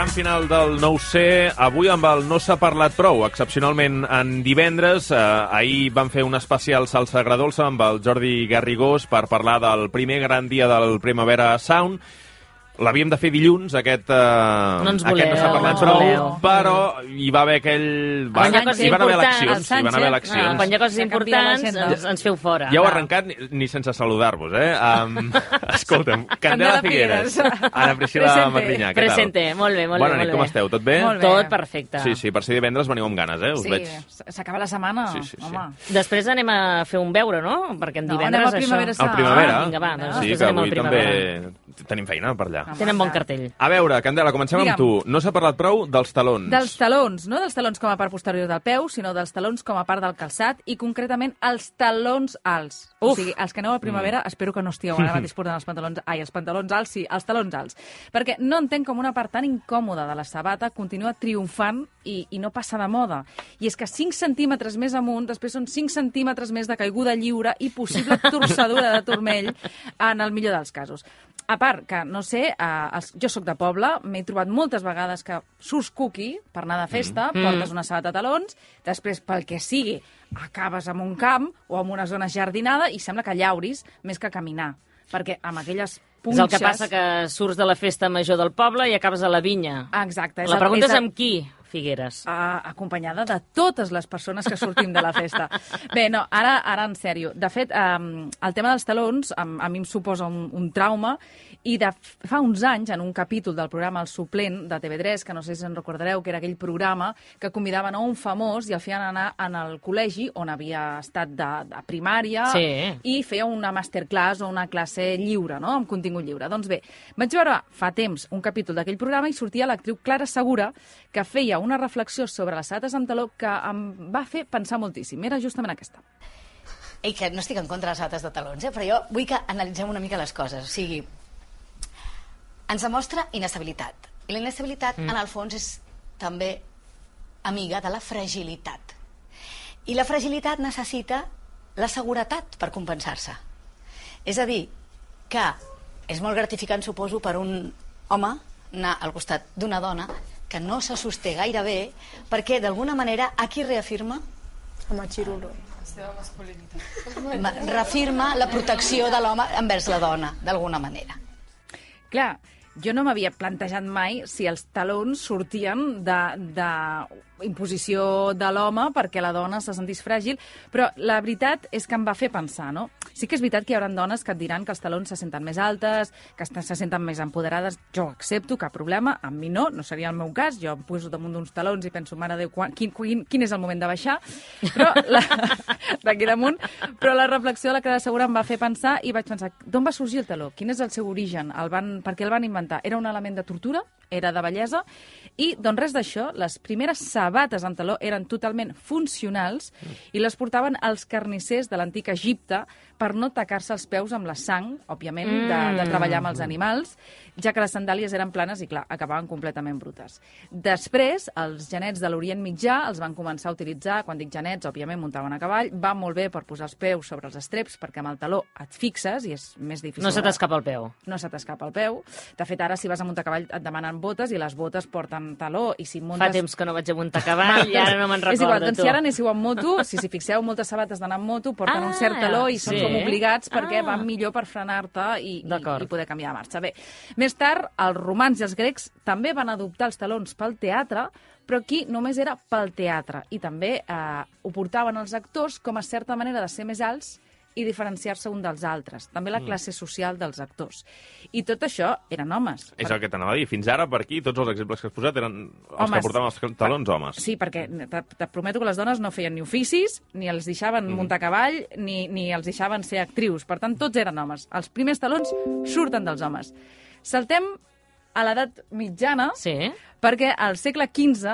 tram final del 9C, avui amb el No s'ha parlat prou, excepcionalment en divendres. Ahir vam fer un especial salsa agradolça amb el Jordi Garrigós per parlar del primer gran dia del Primavera Sound. L'havíem de fer dilluns, aquest no s'ha parlat prou, però hi va haver aquell... Hi van haver eleccions. Quan hi ha coses importants, ens feu fora. Ja heu arrencat ni sense saludar-vos, eh? Escolta'm, Candela Figueres, Ana Priscila Magrinyà, què tal? Presente, molt bé, molt bé. Bona nit, com esteu? Tot bé? Tot perfecte. Sí, per ser divendres veniu amb ganes, us veig. Sí, s'acaba la setmana, home. Després anem a fer un beure, no? Perquè en divendres això... Al Primavera. Vinga, va, sí, que avui també tenim feina per allà. Tenen bon cartell. A veure, Candela, comencem amb tu. No s'ha parlat prou dels talons. Dels talons, no dels talons com a part posterior del peu, sinó dels talons com a part del calçat i concretament els talons alts. O sigui, els que aneu a Primavera, espero que no estigueu ara mateix portant els pantalons alts, sí, els talons alts. Perquè no entenc com una part tan incòmoda de la sabata continua triomfant i no passa de moda. I és que 5 centímetres més amunt, després són 5 centímetres més de caiguda lliure i possible torçadura de turmell en el millor dels casos. A part, que, no sé, jo sóc de poble, m'he trobat moltes vegades que surts cuqui per anar de festa, portes una sabata de talons, després, pel que sigui, acabes en un camp o en una zona jardinada i sembla que llauris més que caminar, perquè amb aquelles punxes... És el que passa que surts de la festa major del poble i acabes a la vinya. Exacte. La pregunta és amb qui, Figueres? Acompanyada de totes les persones que sortim de la festa. Bé, no, ara en sèrio. De fet, el tema dels talons a mi em suposa un trauma i fa uns anys, en un capítol del programa El Suplent de TV3, que no sé si en recordareu, que era aquell programa que convidaven a un famós i el feien anar en el col·legi on havia estat de primària i feia una masterclass o una classe lliure, no?, amb contingut lliure. Doncs bé, vaig veure fa temps un capítol d'aquell programa i sortia l'actriu Clara Segura, que feia una reflexió sobre les sabates amb taló que em va fer pensar moltíssim. Era justament aquesta. Ei, que no estic en contra de les sabates de talons, però jo vull que analitzem una mica les coses. O sigui, ens demostra inestabilitat. I la inestabilitat, en el fons, és també amiga de la fragilitat. I la fragilitat necessita la seguretat per compensar-se. És a dir, que és molt gratificant, suposo, per un home anar al costat d'una dona que no se sosté gaire bé, perquè d'alguna manera aquí reafirma home xirulo. La seva masculinitat. Reafirma la protecció de l'home envers la dona, d'alguna manera. Clar, jo no m'havia plantejat mai si els talons sortien de imposició de l'home perquè la dona se sentís fràgil, però la veritat és que em va fer pensar, no? Sí que és veritat que hi haurà dones que et diran que els talons se senten més altes, que se senten més empoderades. Jo accepto, cap problema, amb mi no seria el meu cas. Jo em poso damunt d'uns talons i penso, mare de Déu, quin és el moment de baixar? Però d'aquí damunt. Però la reflexió de la Clara Segura em va fer pensar i vaig pensar, d'on va sorgir el taló? Quin és el seu origen? Per què el van inventar? Era un element de tortura? Era de bellesa? I, doncs res d'això, les primeres sabates amb taló eren totalment funcionals i les portaven els carnissers de l'antic Egipte per no tacar-se els peus amb la sang, òbviament, de treballar amb els animals, ja que les sandàlies eren planes i, clar, acabaven completament brutes. Després, els genets de l'Orient Mitjà els van començar a utilitzar, quan dic genets, òbviament, muntaven a cavall, va molt bé per posar els peus sobre els estreps, perquè amb el taló et fixes i és més difícil. No se t'escapa el peu. No se t'escapa el peu. De fet, ara, si vas a muntar a cavall, et demanen botes i les botes porten taló. I si muntes... Fa temps que no vaig a muntar a cavall i ara no me'n recordo. És igual, doncs si ara anéssiu amb moto, si fixeu, moltes sabates d'anar amb moto porten un cert taló i són com obligats perquè van millor per frenar-te i poder canviar de marxa. Bé, més tard, els romans i els grecs també van adoptar els talons pel teatre, però aquí només era pel teatre. I també ho portaven els actors com a certa manera de ser més alts i diferenciar-se un dels altres. També la classe social dels actors. I tot això eren homes. És el que t'anava a dir. Fins ara, per aquí, tots els exemples que has posat eren els que portaven els talons homes. Sí, perquè te prometo que les dones no feien ni oficis, ni els deixaven muntar a cavall, ni els deixaven ser actrius. Per tant, tots eren homes. Els primers talons surten dels homes. Saltem a l'edat mitjana, perquè al segle XV...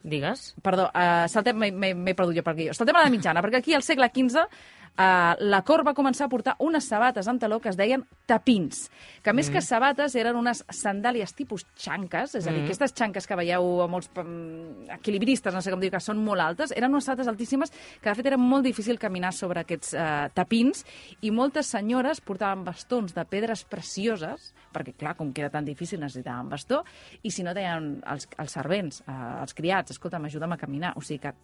Digues. Perdó, m'he perdut jo per aquí. Saltem a l'edat mitjana, perquè aquí al segle XV la cort va començar a portar unes sabates amb taló que es deien tapins, que més que sabates eren unes sandàlies tipus xanques, és a dir, aquestes xanques que veieu a molts equilibristes, no sé com dir, que són molt altes, eren unes sabates altíssimes que de fet era molt difícil caminar sobre aquests tapins, i moltes senyores portaven bastons de pedres precioses, perquè clar, com que era tan difícil necessitaven bastó, i si no deien els servents, els criats, escolta, m'ajuda'm a caminar. O sigui que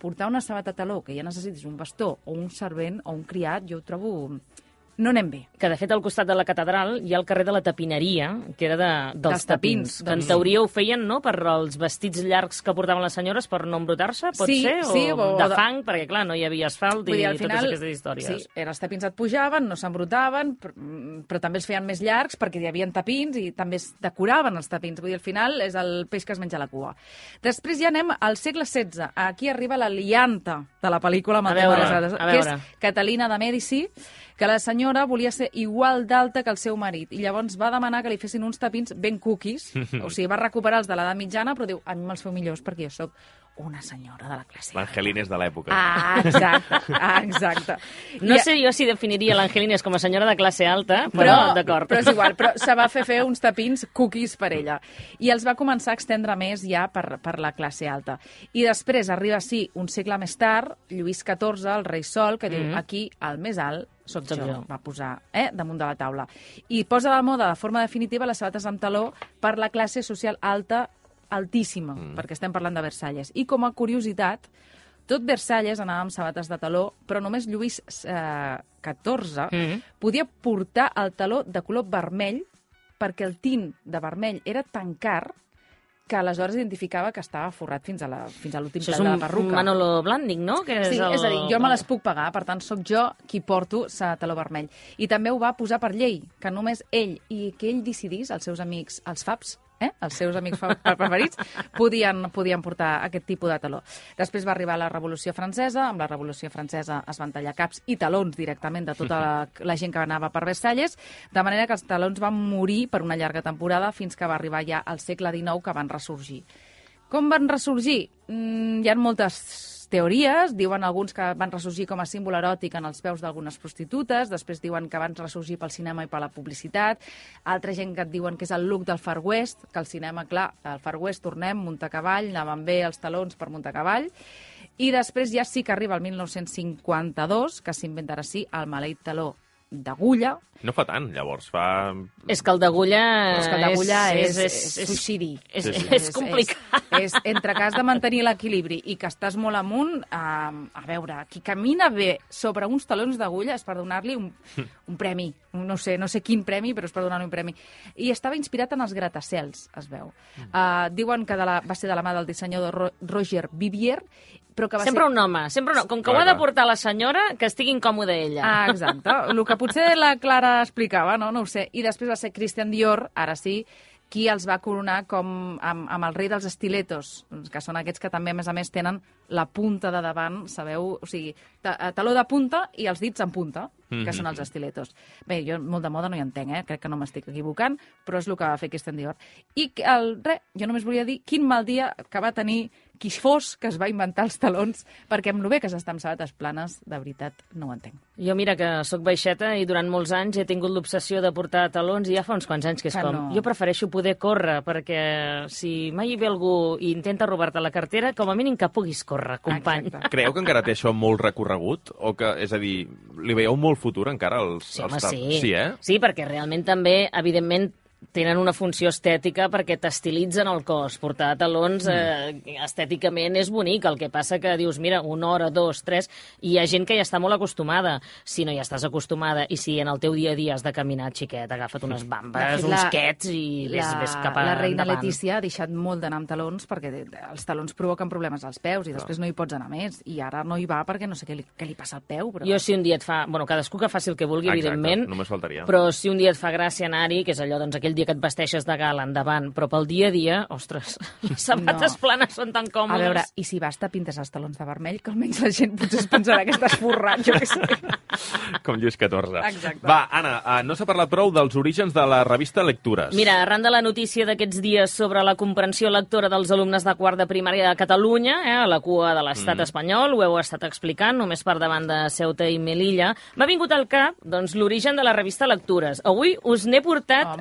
portar una sabata taló que ja necessitis un bastó o un servent o un criat, jo ho trobo... no anem bé. Que, de fet, al costat de la catedral hi ha el carrer de la Tapineria, que era dels tapins. Que en teoria ho feien, no?, per als vestits llargs que portaven les senyores per no embrutar-se, pot ser? Sí, o de fang, perquè, clar, no hi havia asfalt i al final, totes aquestes històries. Sí, els tapins et pujaven, no s'embrutaven, però també els feien més llargs perquè hi havia tapins i també es decoraven els tapins. Vull dir, al final és el peix que es menja la cua. Després ja anem al segle XVI. Aquí arriba la lianta de la pel·lícula amb el tema de les dades, que és Catalina de Mèdici, que la senyora volia ser igual d'alta que el seu marit, i llavors va demanar que li fessin uns tapins ben cookies, o sigui, va recuperar els de l'edat mitjana, però diu, a mi me'ls feu millors perquè jo sóc una senyora de la classe. L'Angelines de l'època. Exacte. No sé jo si definiria l'Angelines com a senyora de classe alta, però d'acord. Però és igual, però se va fer uns tapins cookies per ella. I els va començar a extendre més ja per la classe alta. I després arriba, sí, un segle més tard, Lluís XIV, el rei Sol, que diu, aquí, el més alt, soc jo, va posar damunt de la taula. I posa de moda de forma definitiva les sabates amb taló per la classe social alta, altíssima, perquè estem parlant de Versalles. I com a curiositat, tot Versalles anava amb sabates de taló, però només Lluís XIV podia portar el taló de color vermell perquè el tint de vermell era tan car que aleshores identificava que estava forrat fins a l'últim pèl de la perruca. Això és un Manolo Blahnik, no? Sí, és a dir, jo me les puc pagar, per tant, sóc jo qui porto taló vermell. I també ho va posar per llei, que només ell, i que ell decidís, els seus amics, els FAPs, els seus amics preferits, podien portar aquest tipus de taló. Després va arribar la Revolució Francesa. Amb la Revolució Francesa es van tallar caps i talons directament de tota la gent que anava per Versalles, de manera que els talons van morir per una llarga temporada fins que va arribar ja al segle XIX, que van ressorgir. Com van ressorgir? Hi ha moltes teories. Diuen alguns que van ressorgir com a símbol eròtic en els peus d'algunes prostitutes, després diuen que van ressorgir pel cinema i per la publicitat, altra gent que et diuen que és el look del Far West, que al cinema, clar, al Far West tornem, muntar a cavall, anaven bé els talons per muntar a cavall, i després ja sí que arriba el 1952, que s'inventarà sí el maleït taló d'agulla. No fa tant, llavors, fa... És que el d'agulla... és suïcidi. És complicat. És entre que has de mantenir l'equilibri i que estàs molt amunt, a veure, qui camina bé sobre uns talons d'agulla és per donar-li un premi. No sé quin premi, però és per donar-li un premi. I estava inspirat en els gratacels, es veu. Diuen que va ser de la mà del dissenyador Roger Vivier, però que va sempre un home. Com que ho ha de portar la senyora, que estigui incòmoda ella. Exacte. El que potser la Clara explicava, no ho sé. I després va ser Christian Dior, ara sí, qui els va coronar com amb el rei dels estiletos, que són aquests que també, a més, tenen la punta de davant, sabeu? O sigui, taló de punta i els dits en punta, que són els estiletos. Bé, jo molt de moda no hi entenc, crec que no m'estic equivocant, però és el que va fer Christian Dior. I jo només volia dir quin mal dia que va tenir qui fos que es va inventar els talons, perquè amb el bé que s'està amb sabates planes, de veritat, no ho entenc. Jo, mira, que sóc baixeta i durant molts anys he tingut l'obsessió de portar talons i ja fa uns quants anys que és com... Jo prefereixo poder córrer, perquè si mai hi ve algú i intenta robar-te la cartera, com a mínim que puguis córrer, company. Exacte. Creieu que encara té això molt recorregut? O que, és a dir, li veieu molt futur encara als Sí, sí, sí, perquè realment també, evidentment, tenen una funció estètica perquè t'estilitzen el cos. Portar talons estèticament és bonic, el que passa que dius, mira, 1 hora, 2, 3, i hi ha gent que ja està molt acostumada. Si no hi estàs acostumada i si en el teu dia a dia has de caminar, xiquet, agafa't unes bambes, uns quets i ves cap a la reina endavant. Letícia ha deixat molt d'anar amb talons perquè els talons provoquen problemes als peus i després no hi pots anar més. I ara no hi va perquè no sé què li passa al peu. Però... Jo si un dia et fa... Bueno, cadascú que faci el que vulgui, exacte, evidentment. Només faltaria. Però si un dia et fa gràcia anar-hi, que és allò, doncs, aquell aquell dia que et vesteixes de gala endavant, però pel dia a dia, ostres, les sabates planes són tan còmodes. A veure, i si vas te pintes els talons de vermell, que almenys la gent potser es pensarà que estàs forrat, jo què sé. Com Lluís XIV. Exacte. Va, Anna, no s'ha parlat prou dels orígens de la revista Lectures. Mira, arran de la notícia d'aquests dies sobre la comprensió lectora dels alumnes de quart de primària a Catalunya, a la cua de l'estat espanyol, ho heu estat explicant, només per davant de Ceuta i Melilla, m'ha vingut al cap doncs, l'origen de la revista Lectures. Avui us n'he portat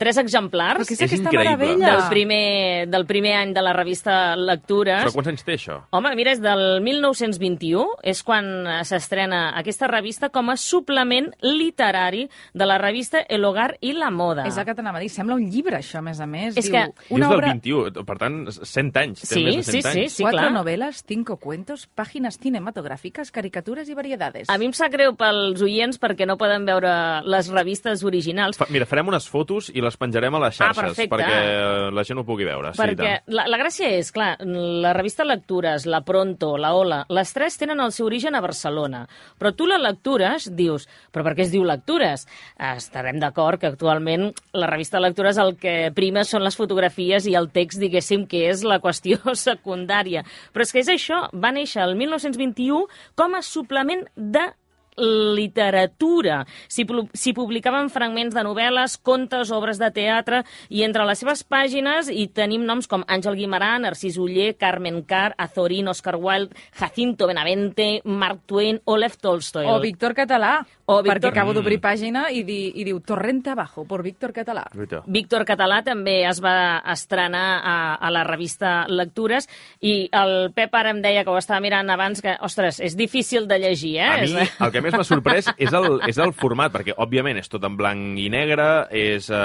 3 exemplars Però què és aquesta increïble. meravella? del primer any de la revista Lectures. Però quants anys té, això? Home, mira, és del 1921, és quan s'estrena aquesta revista com a suplement literari de la revista El Hogar i la Moda. És el que t'anava a dir. Sembla un llibre, això, a més a més. És Diu, que- I és del 21, per tant, 100 anys. Té Sí, més de 100 sí, anys. sí. 4 clar. novelas, 5 cuentos, páginas cinematográficas, caricaturas y variedades. A mi em sap greu pels oients perquè no poden veure les revistes originals. Mira, farem unes fotos i les penjarem a les xarxes perfecte. perquè la gent ho pugui veure. Sí, Perquè la gràcia és, clar, la revista Lectures, la Pronto, la Ola, les 3 tenen el seu origen a Barcelona. Però tu la Lectures dius, però per què es diu Lectures? Estarem d'acord que actualment la revista Lectures el que prima són les fotografies i el text, diguéssim, que és la qüestió secundària. Però és que és això, va néixer el 1921 com a suplement de literatura. S'hi publicaven fragments de novel·les, contes, obres de teatre, i entre les seves pàgines hi tenim noms com Àngel Guimarà, Narcís Oller, Carmen Carr, Azorín, Oscar Wilde, Jacinto Benavente, Mark Twain o Lev Tolstoi. O Víctor Català, O Víctor- perquè acabo d'obrir pàgina i diu Torrente abajo, por Víctor Català. Veritat. Víctor Català també es va estrenar a la revista Lectures, i el Pep ara em deia, que ho estava mirant abans, que, ostres, és difícil de llegir, A mi, eh? el que més m'ha sorprès és el format, perquè, òbviament, és tot en blanc i negre,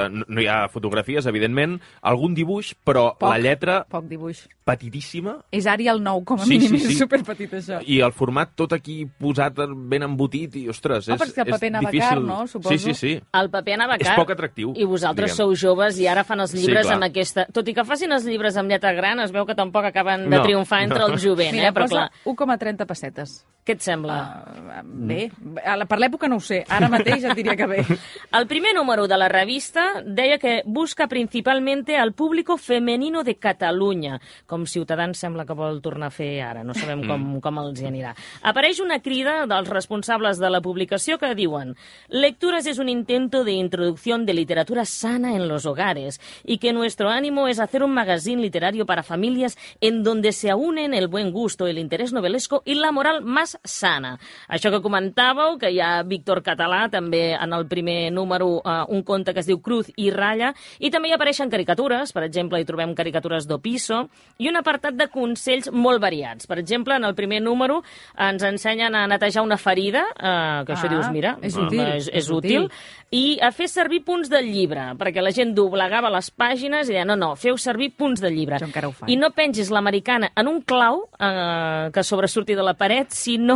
no hi ha fotografies, evidentment, algun dibuix, però la lletra Poc dibuix. petitíssima, És Arial 9, com a Sí, mínim, sí, sí. és superpetit, això. i el format tot aquí posat ben embotit, i, ostres, perquè és el paper Navacar, difícil. no? Suposo. Sí, sí, sí. El paper Navacar. És poc atractiu, I vosaltres diguem. sou joves i ara fan els llibres Sí, clar. amb aquesta... Tot i que facin els llibres amb lletra gran, es veu que tampoc acaben de No, triomfar entre no. el jovent, Mira, però posa clar, 1,30 pessetes. què et sembla? Bé, per l'època no ho sé, ara mateix et diria que bé. El primer número de la revista deia que busca principalmente al público femenino de Catalunya, com Ciutadans sembla que vol tornar a fer ara, no sabem com els hi anirà. Apareix una crida dels responsables de la publicació que diuen: Lecturas es un intento de introducción de literatura sana en los hogares y que nuestro ánimo es hacer un magazine literario para familias en donde se unen el buen gusto, el interés novelesco y la moral más sana. Això que comentàveu, que hi ha Víctor Català, també en el primer número, un conte que es diu Cruz i Ratlla, i també hi apareixen caricatures, per exemple, hi trobem caricatures d'Opiso, i un apartat de consells molt variats. Per exemple, en el primer número ens ensenyen a netejar una ferida, que això dius, mira, és útil, és útil, i a fer servir punts del llibre, perquè la gent doblegava les pàgines i deia, no, feu servir punts del llibre. Jo encara ho faig. I no pengis l'americana en un clau que sobresurti de la paret, sinó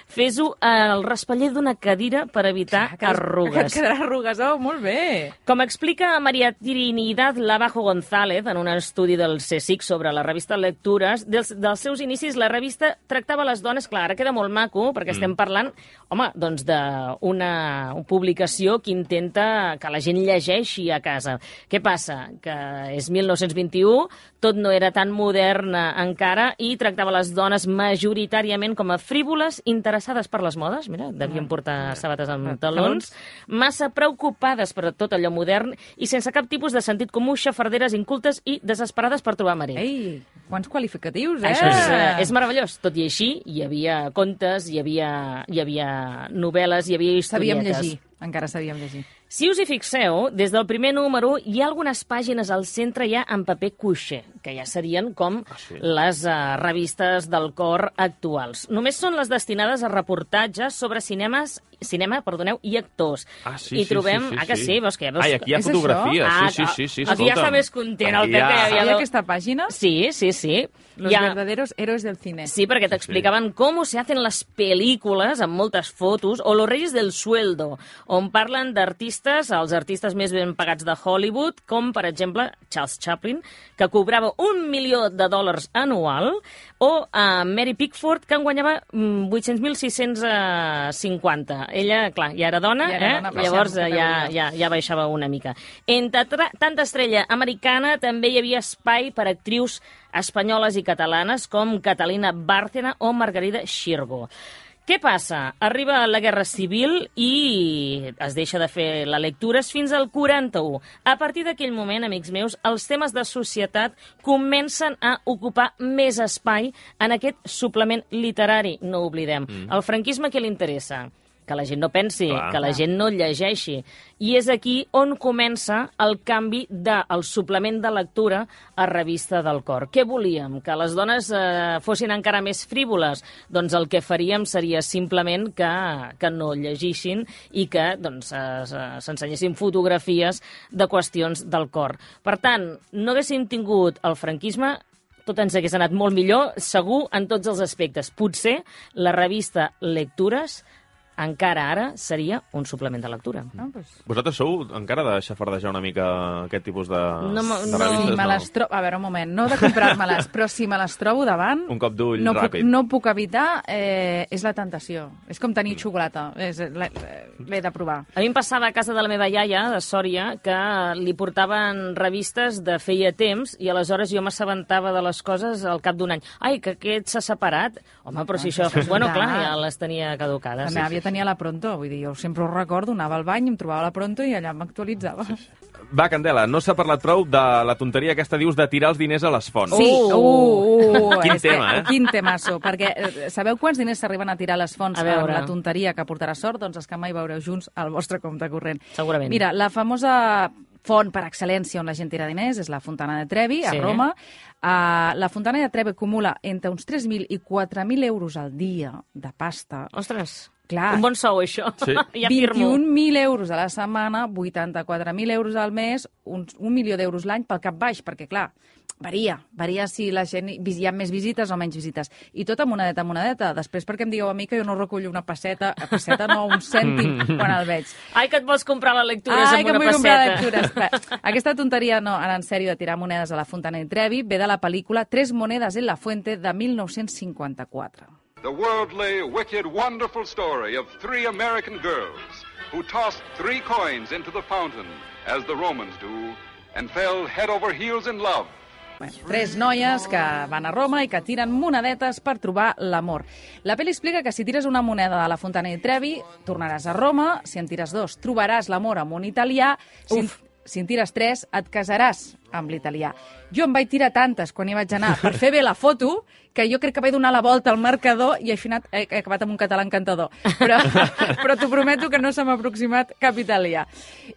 fes-ho al raspaller d'una cadira per evitar arrugues. Que et quedarà arrugues, molt bé. Com explica María Trinidad Lavajo González en un estudi del CSIC sobre la revista Lectures, dels seus inicis la revista tractava les dones, clar, ara queda molt maco, perquè estem parlant, home, doncs d'una publicació que intenta que la gent llegeixi a casa. Què passa? Que és 1921, tot no era tan modern encara, i tractava les dones majoritàriament com a frívoles, interessades per les modes, mira, devien portar sabates amb talons, massa preocupades per tot allò modern i sense cap tipus de sentit comú, xafarderes, incultes i desesperades per trobar marit. Ei, quants qualificatius, eh? Això és meravellós. Tot i així, hi havia contes, hi havia novel·les, hi havia Sabíem historietes. llegir, encara sabíem llegir. Si us hi fixeu, des del primer número hi ha algunes pàgines al centre ja en paper cuixé, que ja serien com les revistes del cor actuals. Només són les destinades a reportatges sobre cinema i actors. Sí, I trobem... sí. que sí? Veus que... Ai, aquí hi ha És fotografies. això? Sí, Aquí ja està més content el Pep, que ja havia... Sabia aquesta pàgina? Sí. Los verdaderos héroes del cine. Sí, perquè t'explicaven com se hacen les pel·lícules amb moltes fotos, o Los Reyes del Sueldo, on parlen d'artistes, els artistes més ben pagats de Hollywood, com, per exemple, Charles Chaplin, que cobrava $1 milió anual, o Mary Pickford, que en guanyava 800.650. Ella, clar, ja era dona, llavors ja baixava una mica. Entre tanta estrella americana també hi havia espai per actrius espanyoles i catalanes com Catalina Bárcena o Margarida Xirgo. Què passa? Arriba la Guerra Civil i es deixa de fer les lectures fins al 41. A partir d'aquell moment, amics meus, els temes de societat comencen a ocupar més espai en aquest suplement literari, no ho oblidem. El franquisme què li interessa? Que la gent no pensi, que la gent no llegeixi. I és aquí on comença el canvi del suplement de lectura a Revista del Cor. Què volíem? Que les dones fossin encara més frívoles? Doncs el que faríem seria simplement que no llegissin i que s'ensenyessin fotografies de qüestions del cor. Per tant, no haguéssim tingut el franquisme, tot ens hagués anat molt millor, segur, en tots els aspectes. Potser la revista Lectures encara ara seria un suplement de lectura. Vosaltres sou encara de xafardejar una mica aquest tipus de revistes? A veure, un moment, no de comprar-me-les, però si me les trobo davant... Un cop d'ull ràpid. No puc evitar, és la tentació. És com tenir xocolata, l'he de provar. A mi em passava a casa de la meva iaia, de Sòria, que li portaven revistes de feia temps i aleshores jo m'assabentava de les coses al cap d'un any. Ai, que aquest s'ha separat. Home, però si això... Bueno, clar, ja les tenia caducades. La meva àvia tenia la Pronto, vull dir, jo sempre ho recordo, anava al bany, em trobava la Pronto i allà m'actualitzava. Va, Candela, no s'ha parlat prou de la tonteria aquesta, dius, de tirar els diners a les fonts. Sí, Quin tema, eh? Quin temasso, perquè sabeu quants diners s'arriben a tirar a les fonts amb la tonteria que portarà sort? Doncs els que mai veureu junts al vostre compte corrent. Segurament. Mira, la famosa font per excel·lència on la gent tira diners és la Fontana de Trevi, a Roma. La Fontana de Trevi acumula entre uns 3.000 i 4.000 euros al dia de pasta. Ostres, clar, un bon sou, això. Sí. Ja firmo. 21.000 euros a la setmana, 84.000 euros al mes, un milió d'euros l'any pel cap baix, perquè, clar, varia si la gent hi ha més visites o menys visites. I tot a monedeta. Després perquè em digueu a mi que jo no recullo una passeta no, un cèntim quan el veig. Ai, que et vols comprar les lectures amb una passeta. Ai, que em vull comprar lectures. Aquesta tonteria, no, ara en sèrio, de tirar monedes a la Fontana de Trevi, ve de la pel·lícula Tres monedas en la fuente de 1954. The worldly, wicked, wonderful story of three American girls who tossed 3 coins into the fountain, as the Romans do, and fell head over heels in love. 3 noies que van a Roma i que tiren monedetes per trobar l'amor. La pel·li explica que si tires una moneda de la Fontana di Trevi, tornaràs a Roma, si en tires 2, trobaràs l'amor amb un italià, si en tires 3, et casaràs amb l'italià. Jo em vaig tirar tantes quan hi vaig anar per fer bé la foto que jo crec que vaig donar la volta al marcador i al final he acabat amb un català encantador. Però t'ho prometo que no se m'ha aproximat cap italià.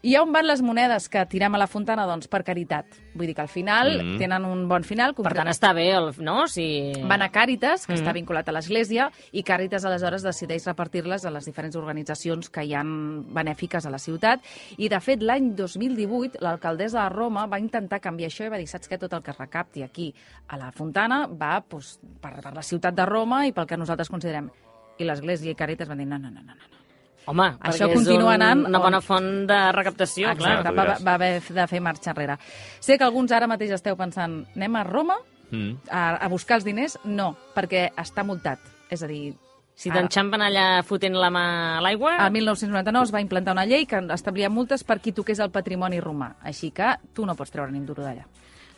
I on van les monedes que tirem a la Fontana? Doncs per caritat. Vull dir que al final tenen un bon final. Per tant, està bé, no? Si... Van a Càritas, que està vinculat a l'Església, i Càritas aleshores decideix repartir-les a les diferents organitzacions que hi han benèfiques a la ciutat. I, de fet, l'any 2018, l'alcaldessa de Roma va intentar canviar això i va dir, saps què? Tot el que es recapti aquí a la Fontana va per la ciutat de Roma i pel que nosaltres considerem. I l'Església i Càritas van dir, no. Home, això perquè continua anant una bona font de recaptació. Exacte, va haver de fer marxa enrere. Sé que alguns ara mateix esteu pensant, anem a Roma a buscar els diners? No, perquè està multat. És a dir... Si t'enxampen allà fotent la mà a l'aigua... El 1999 es va implantar una llei que establia multes per qui toqués el patrimoni romà. Així que tu no pots treure ni un duro d'allà.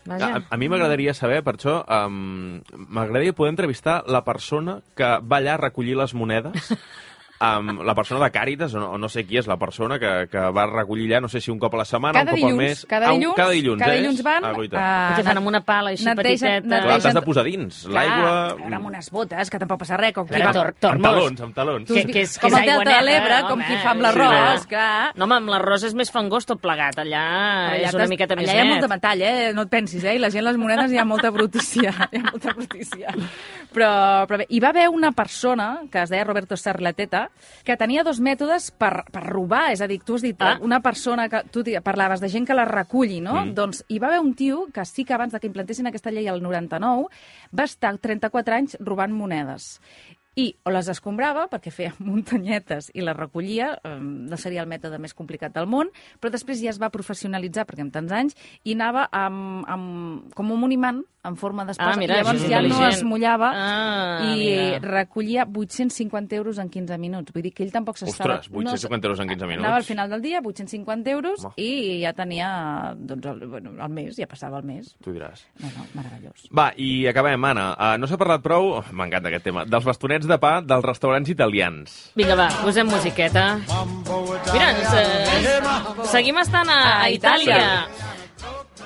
A mi m'agradaria saber, per això, m'agradaria poder entrevistar la persona que va allà a recollir les monedes, la persona de Càritas, o no sé qui és la persona que va recollir allà, no sé si un cop a la setmana, un cop al mes... Cada dilluns van... Que fan amb una pala així petiteta... Clar, t'has de posar dins l'aigua... Amb unes botes, que tampoc passa res. Amb talons. Com el Delta de l'Ebre, com qui fa amb l'arròs, clar. No, home, amb l'arròs és més fangós tot plegat. Allà és una miqueta més net. Allà hi ha molta metall, no et pensis, i la gent, les monedes, hi ha molta brutícia. Però bé, hi va haver una persona, que es deia Roberto Serleteta, que tenia 2 mètodes per robar, és a dir, tu has dit, una persona que tu parlaves de gent que la reculli, no? Doncs hi va haver un tio que sí que abans que implantessin aquesta llei al 99 va estar 34 anys robant monedes. I o les escombrava, perquè feia muntanyetes i les recollia, no seria el mètode més complicat del món, però després ja es va professionalitzar, perquè amb tants anys, i anava com un imant en forma d'espasa, mira, llavors això és ja no intel·ligent. es mullava i mira. recollia 850 euros en 15 minuts. Vull dir que ell tampoc s'estava... Ostres, 850 euros en 15 minuts. Anava al final del dia, 850 euros, Home. i ja tenia el mes, ja passava el mes. Tu diràs. No, meravellós. Va, i acabem, Anna. No s'ha parlat prou, m'encanta aquest tema, dels bastonets de pa dels restaurants italians. Vinga, va, posem musiqueta. Mira, seguim estant a Itàlia.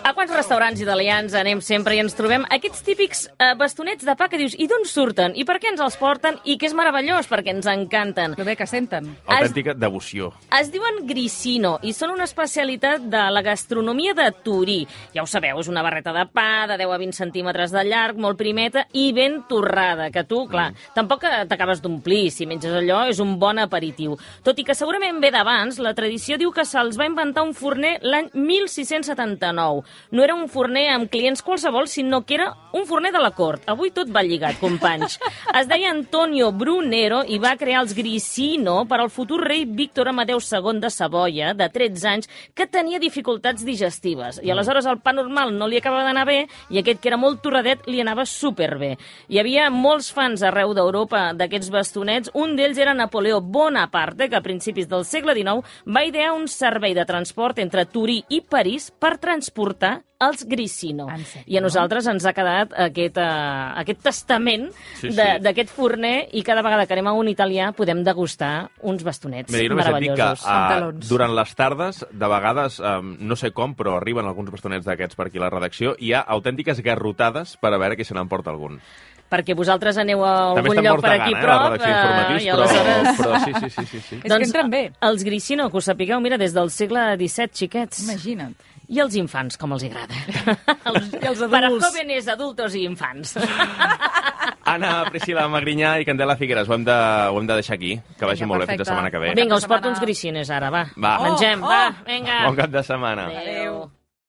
A quants restaurants italians anem sempre i ens trobem aquests típics bastonets de pa que dius, i d'on surten? I per què ens els porten? I que és meravellós, perquè ens encanten. Però bé que senten. Autèntica devoció. Es diuen grissino i són una especialitat de la gastronomia de Turí. Ja ho sabeu, és una barreta de pa de 10 a 20 centímetres de llarg, molt primeta i ben torrada, que tu, clar, tampoc t'acabes d'omplir. Si menges allò, és un bon aperitiu. Tot i que segurament ve d'abans, la tradició diu que se'ls va inventar un forner l'any 1679. No era un forner amb clients qualsevol, sinó que era un forner de la cort. Avui tot va lligat, companys. Es deia Antonio Brunero i va crear els grissino per al futur rei Víctor Amadeu II de Savoia, de 13 anys, que tenia dificultats digestives. I aleshores el pa normal no li acabava d'anar bé i aquest, que era molt torradet, li anava superbé. Hi havia molts fans arreu d'Europa d'aquests bastonets. Un d'ells era Napoleó Bonaparte, que a principis del segle XIX va idear un servei de transport entre Turí i París per transportar els grissino. I a nosaltres ens ha quedat aquest testament d'aquest forner, i cada vegada que anem a un italià podem degustar uns bastonets meravellosos. Que durant les tardes, de vegades, no sé com, però arriben alguns bastonets d'aquests per aquí a la redacció, i hi ha autèntiques garrotades per a veure qui se n'emporta algun. Perquè vosaltres aneu a algun lloc per aquí prop, i aleshores... Però sí. És que entren bé. Els grissino, que ho sapigueu, mira, des del segle XVII, xiquets. Imagina't. I els infants, com els agrada. I els adults. Para jóvenes, adultos i infants. Anna, Priscila Magrinyà i Candela Figueres, ho hem de deixar aquí. Que vagi molt bé, fins la setmana que ve. Vinga, us porto uns grissines ara, va. Mengem, va, vinga. Bon cap de setmana. Adéu.